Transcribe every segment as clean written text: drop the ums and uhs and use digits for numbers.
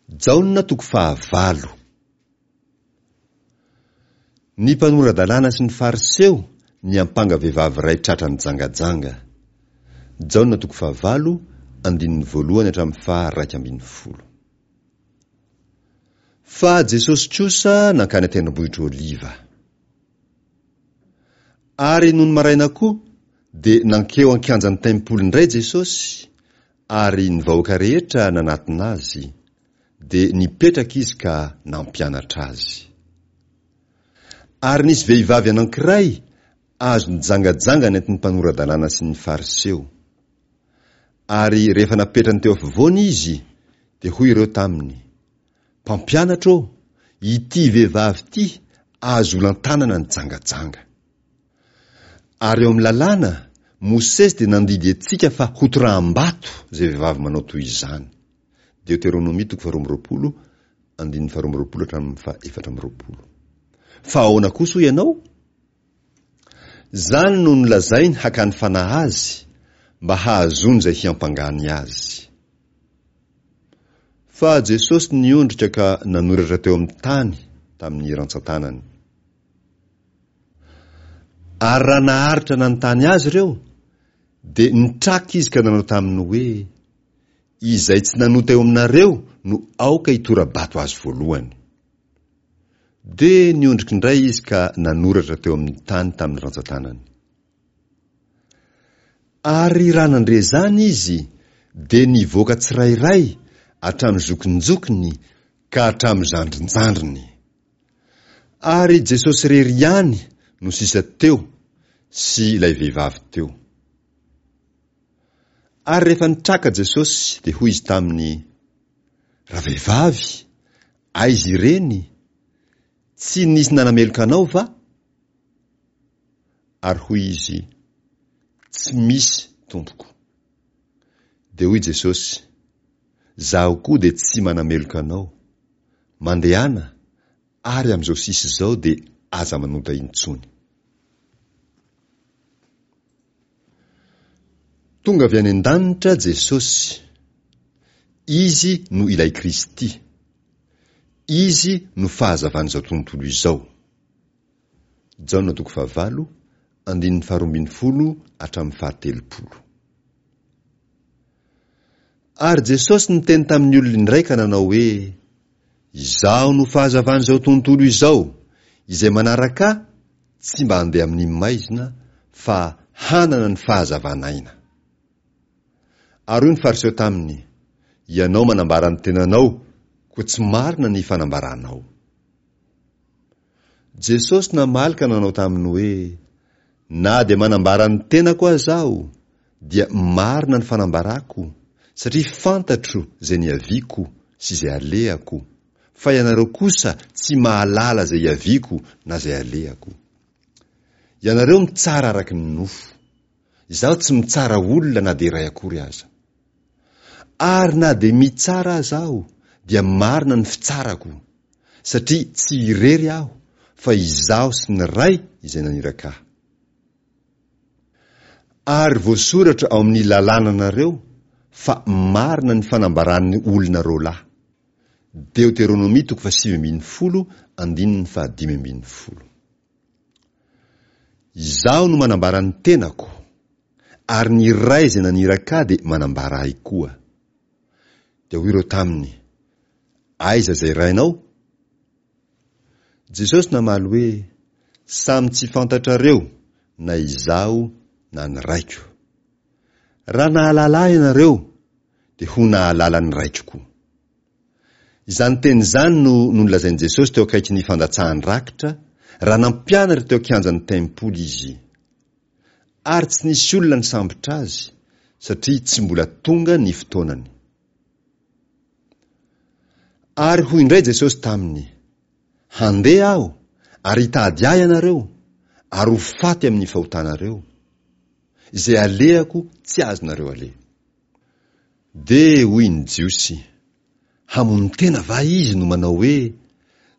Jaona toko fahavalo. Ny mpanora-dalàna sy ny Fariseo niampanga vehivavy iray tratra nijangajanga. Jaona toko fahavalo, andininy voalohany hatramin'ny faha-11. Fa Jesosy kosa nankany an-tendrombohitra Oliva. Ary nony maraina koa, dia nankeo an-kianjan'ny tempoly indray Jesosy, ary ny vahoaka rehetra nanatona Azy, dia nipetraka Izy ka nampianatra azy. Ary nisy vehivavy anankiray azo nijangajanga nentin'ny mpanora-dalàna sy ny Fariseo. Ary rehefa napetrany teo afovoany izy, dia hoy ireo taminy, Mpampianatra ô, ity vehivavy ity azo olan-tanana nijangajanga. Ary eo amin'ny lalàna, Mosesy dia nandidy antsika fa hotoraham-bato izay vehivavy manao toy izany. Deoteronomia toko faharoa amby roapolo, andininy faharoa amby roapolo hatramin'ny faha-24. Fa ahoana kosa hoy ianao? Izany no nolazainy hakany fanahy azy, mba hahazoany izay hiampangany azy. Fa Jesosy niondrika ka nanoratra teo amin'ny tany tamin'ny rantsantanany. Ary raha naharitra nanontany azy ireo, dia nitraka izy ka nanao taminy hoe, Izay tsy nanota eo aminareo no aoka hitora-bato azy voalohany. Dia niondrika indray izy ka nanoratra teo amin'ny tany tamin'ny rantsantanany. Ary raha nandre izany izy, dia nivoaka tsirairay hatramin'ny zokinjokiny ka hatramin'ny zandrinjandriny. Ary Jesosy irery ihany no sisa teo sy ilay vehivavy teo. Ary rehefa nitraka Jesosy, dia hoy Izy taminy, Ravehivavy, aiza ireny? Tsy nisy nanameloka anao va? Ary hoy izy, Tsy misy, Tompoko. Dia hoy Jesosy, Zaho koa dia tsy manameloka anao. Mandehana, ary amin'izao sisa izao dia aza manota intsony. Tonga avy any an-danitra Jesosy. Izy no ilay Kristy. Izy no fahazavan'izao tontolo izao. Jaona toko fahavalo, andininy faharoambinifolo hatramin'ny fahatelopolo. Ary Jesosy niteny tamin'ny olona indray ka nanao hoe, Izaho no fahazavan'izao tontolo izao, izay manaraka Ahy tsy mba handeha amin'ny maizina, fa hanana ny fahazavan'aina. Ary hoy ny Fariseo taminy, Ianao manambara ny tenanao, koa tsy marina ny fanambaranao. Jesosy namaly ka nanao taminy hoe, Na dia manambara ny tenako aza Aho, dia marina ny fanambarako, satria fantatro izay niaviako sy izay alehako, fa ianareo kosa tsy mahalala izay iaviako na izay alehako. Ianareo mitsara araka ny nofo. Izaho tsy mitsara olona na dia iray akory aza. Ary na dia mitsara aza Aho, dia marina ny fitsarako, satria tsy irery Aho, fa Izaho sy ny Ray izay naniraka Ahy. Ary voasoratra ao amin'ny lalànanareo fa marina ny fanambaran'ny olona roalahy. Deoteronomia toko fahasivy ambinifolo andininy fahadimy ambinifolo. Izaho no manambara ny tenako, ary ny Ray izay naniraka Ahy dia manambara Ahy koa. Dia hoy ireo taminy, Aiza izay Rainao? Jesosy namaly hoe, Samy tsy fantatrareo na Izaho na ny Raiko. Raha nahalala Ahy ianareo, dia ho nahalala ny Raiko koa. Izany teny izany no nolazain'i Jesosy teo akaikin'ny fandatsahan-drakitra, raha nampianatra teo an-kianjan'ny tempoly Izy. Ary tsy nisy olona nisambotra Azy, satria tsy mbola tonga ny fotoanany. Ary hoy indray Jesosy taminy, Handeha Aho, ary hitady Ahy ianareo, ary ho faty amin'ny fahotanareo. Izay alehako tsy azonareo aleha. Dia hoy ny Jiosy, Hamono tena va izy no manao hoe,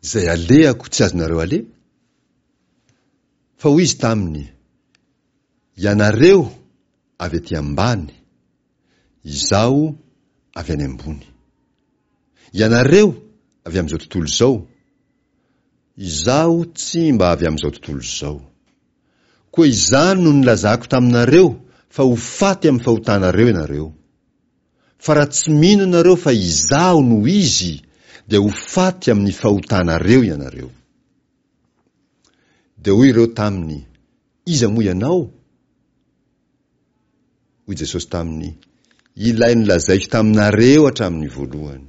Izay alehako tsy azonareo aleha? Fa hoy izy taminy, Ianareo avy aty ambany, Izaho avy any ambony. Ianareo avy amin'izao tontolo izao, Izaho tsy mba avy amin'izao tontolo izao. Koa izany no nilazako taminareo fa ho faty amin'ny fahotanareo ianareo. Fa raha tsy mino ianareo fa Izaho no Izy, dia ho faty amin'ny fahotanareo ianareo. Dia hoy ireo taminy, Iza moa ianao? Hoy Jesosy taminy, Ilay nolazaiko taminareo hatramin'ny voalohany.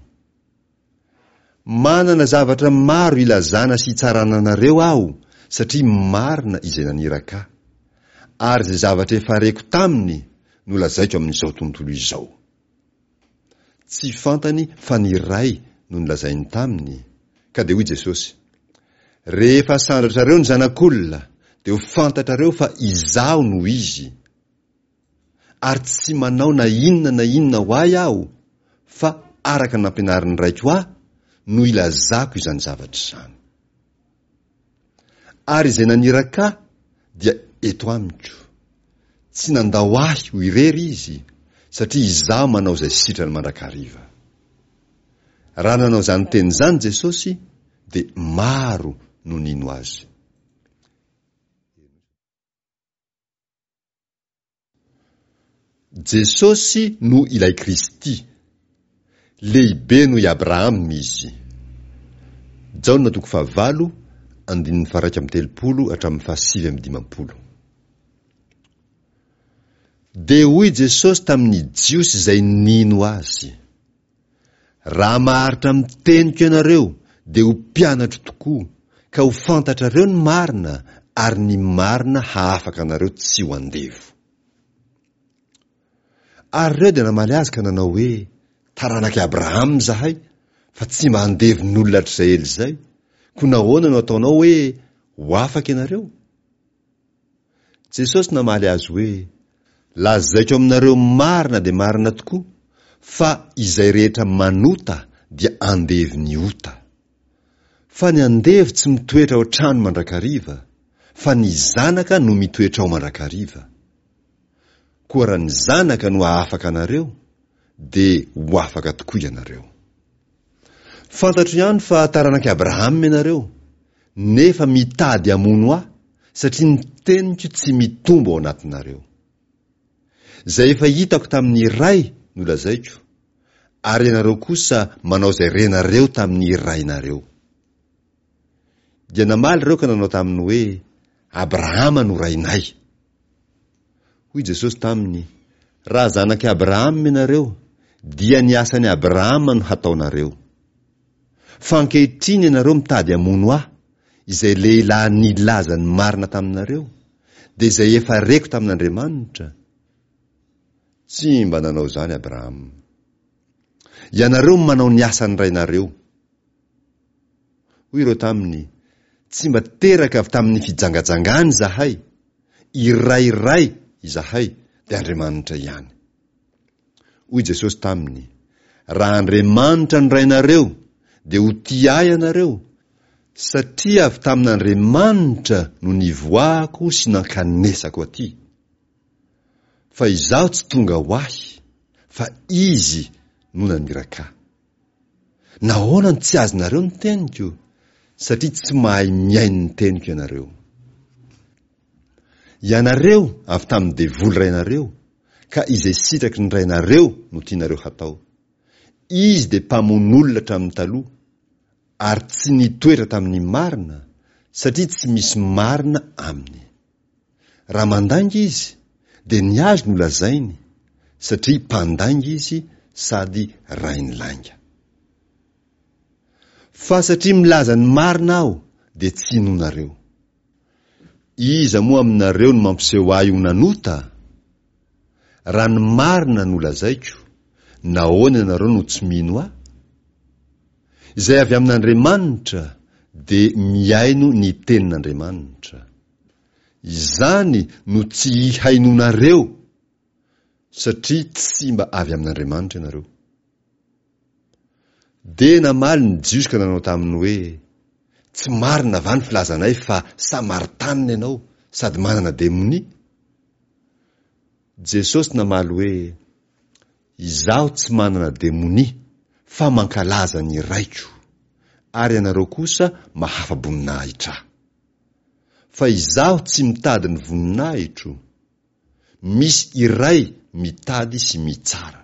Manana zavatra maro ilazana sy itsarana anareo aho, satria marina izay naniraka ahy. Ary izay zavatra efa reko taminy no lazaiko amin'izao tontolo izao. Tsy fantany fa ny Ray no nolazainy taminy, ka dia hoy Jesosy, Rehefa asandratrareo ny Zanak'olona, dia ho fantatrareo fa Izaho no Izy. Ary tsy manao na inona na inona ho ahy Aho, fa araka ny nampianarin'ny Raiko Ahy no ilazako izany zavatra izany. Ary izay naniraka Ahy dia eto amiko. Tsy nandao Ahy ho irery Izy, satria Izaho manao izay sitrany mandrakariva. Raha nanao izany teny izany Jesosy, dia maro no nino Azy. Jesosy no ilay Kristy. Lehibe noho i Abrahama izy. Jaona toko fahavalo, andininy faha-31 hatramin'ny faha-59. Dia hoy Jesosy tamin'ny Jiosy izay nino Azy, Raha maharitra amin'ny teniko ianareo, dia ho mpianatro tokoa, ka ho fantatrareo ny marina, ary ny marina hahafaka anareo tsy ho andevo. Ary ireo dia namaly azy ka nanao hoe, Taranak'i Abrahama izahay, fa tsy mba andevon'olona hatrizay ela izay, koa nahoana no ataonao hoe, Ho afaka ianareo? Jesosy namaly azy hoe, Lazaiko aminareo marina dia marina tokoa fa izay rehetra manota dia andevon'ny ota. Fa ny andevo tsy mitoetra ao an-trano mandrakariva, fa ny zanaka no mitoetra ao mandrakariva. Koa raha ny Zanaka no hahafaka anareo, dia ho afaka tokoa ianareo. Fantatro ihany fa taranak'i Abrahama ianareo, nefa mitady hamono ahy, satria ny teniko tsy mitombo ao anatinareo. Izay efa hitako tamin'ny Ray no lazaiko, ary ianareo kosa manao izay renareo tamin'ny rainareo. Dia namaly ireo ka nanao taminy hoe, Abrahama no rainay. Hoy Jesosy taminy, Raha zanak'i Abrahama ianareo, dia ny asan'i Abrahama no hataonareo. Fa ankehitriny ianareo mitady hamono Ahy, izay lehilahy nilaza ny marina taminareo, dia izay efa reko tamin'Andriamanitra. Tsy mba nanao izany Abrahama. Ianareo manao ny asan'ny rainareo. Hoy ireo taminy, Tsy mba teraka avy tamin'ny fijangajangana izahay, iray Ray izahay, dia Andriamanitra ihany. Hoy Jesosy taminy, Raha Andriamanitra no Rainareo, dia ho tia Ahy ianareo, satria avy tamin'Andriamanitra no nivoahako sy nankanesako aty. Fa Izaho tsy tonga ho Ahy, fa Izy no naniraka Ahy. Nahoana no tsy azonareo ny teniko? Satria tsy mahay mihaino ny teniko ianareo. Ianareo avy tamin'ny devoly rainareo, ka izay sitraky ny rainareo no tianareo hatao. Izy dia mpamono olona hatramin'ny taloha, ary tsy nitoetra tamin'ny marina, satria tsy misy marina aminy. Raha mandainga izy, dia ny azy no lazainy, satria mpandainga izy sady rain'ny lainga. Fa satria milaza ny marina aho, dia tsy inoanareo. Iza moa aminareo no mampiseho ahy ho nanota? Raha ny marina no lazaiko, nahoana ianareo no tsy mino ahy? Izay avy amin'Andriamanitra dia mihaino ny tenin'Andriamanitra. Izany no tsy hihainoanareo satria tsy mba avy amin'Andriamanitra ianareo. Dia namaly ny Jiosy ka nanao taminy hoe, Tsy marina va ny filazanay fa Samaritanina ianao sady manana demonia? Jesosy namaly hoe, Izaho tsy manana demonia, fa mankalaza ny Raiko, ary ianareo kosa mahafa-boninahitra Ahy. Fa Izaho tsy mitady ny voninahitro, misy iray mitady sy mitsara.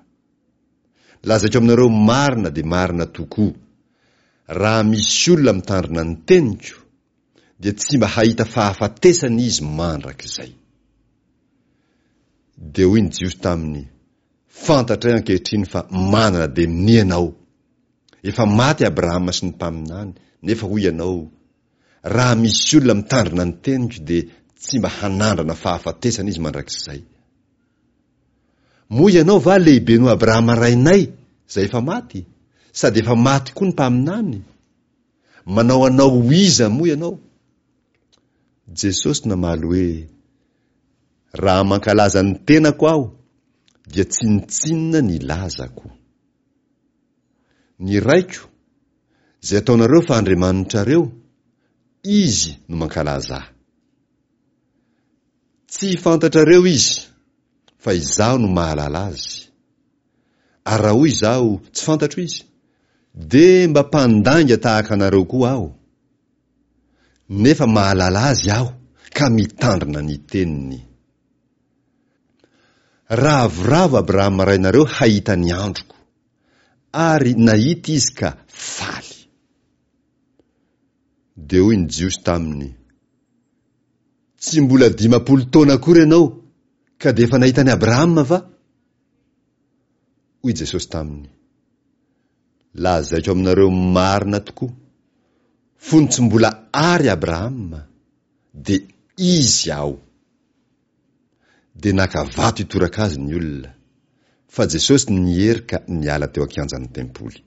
Lazaiko aminareo marina dia marina tokoa, raha misy olona mitandrina ny teniko, dia tsy mba hahita fahafatesana izy mandrakizay. Dia hoy ny Jiosy taminy, Fantatray ankehitriny fa manana demonia ianao. Efa maty Abrahama sy ny mpaminany, nefa hoy ianao, Raha misy olona mitandrina ny teniko dia tsy mba hanandrana fahafatesana izy mandrakizay. Moa ianao va lehibe noho Abrahama rainay, izay efa maty? Sady efa maty koa ny mpaminany? Manao anao ho iza moa ianao? Jesosy namaly hoe, Raha mankalaza ny tenako aho, dia tsinontsinona ny lazako. Ny Raiko, izay ataonareo fa Andriamanitrareo, Izy no mankalaza ahy. Tsy fantatrareo Izy, fa Izaho no mahalala Azy. Ary raha hoy izaho, Tsy fantatro Izy, dia mba mpandainga tahaka anareo koa aho. Nefa mahalala Azy aho ka mitandrina ny teniny. Ravoravo Abrahama rainareo hahita ny androko, ary nahita izy ka faly. Dia hoy ny Jiosy taminy, Tsy mbola 50 taona akory ianao ka dia efa nahita an'i Abrahama va? Hoy Jesosy taminy, Lazaiko aminareo marina tokoa, fony tsy mbola àry Abrahama, dia izy aho. Dia naka vato hitoraka azy ny olona, fa Jesosy niery ka niala teo an-kianjan'ny tempoly.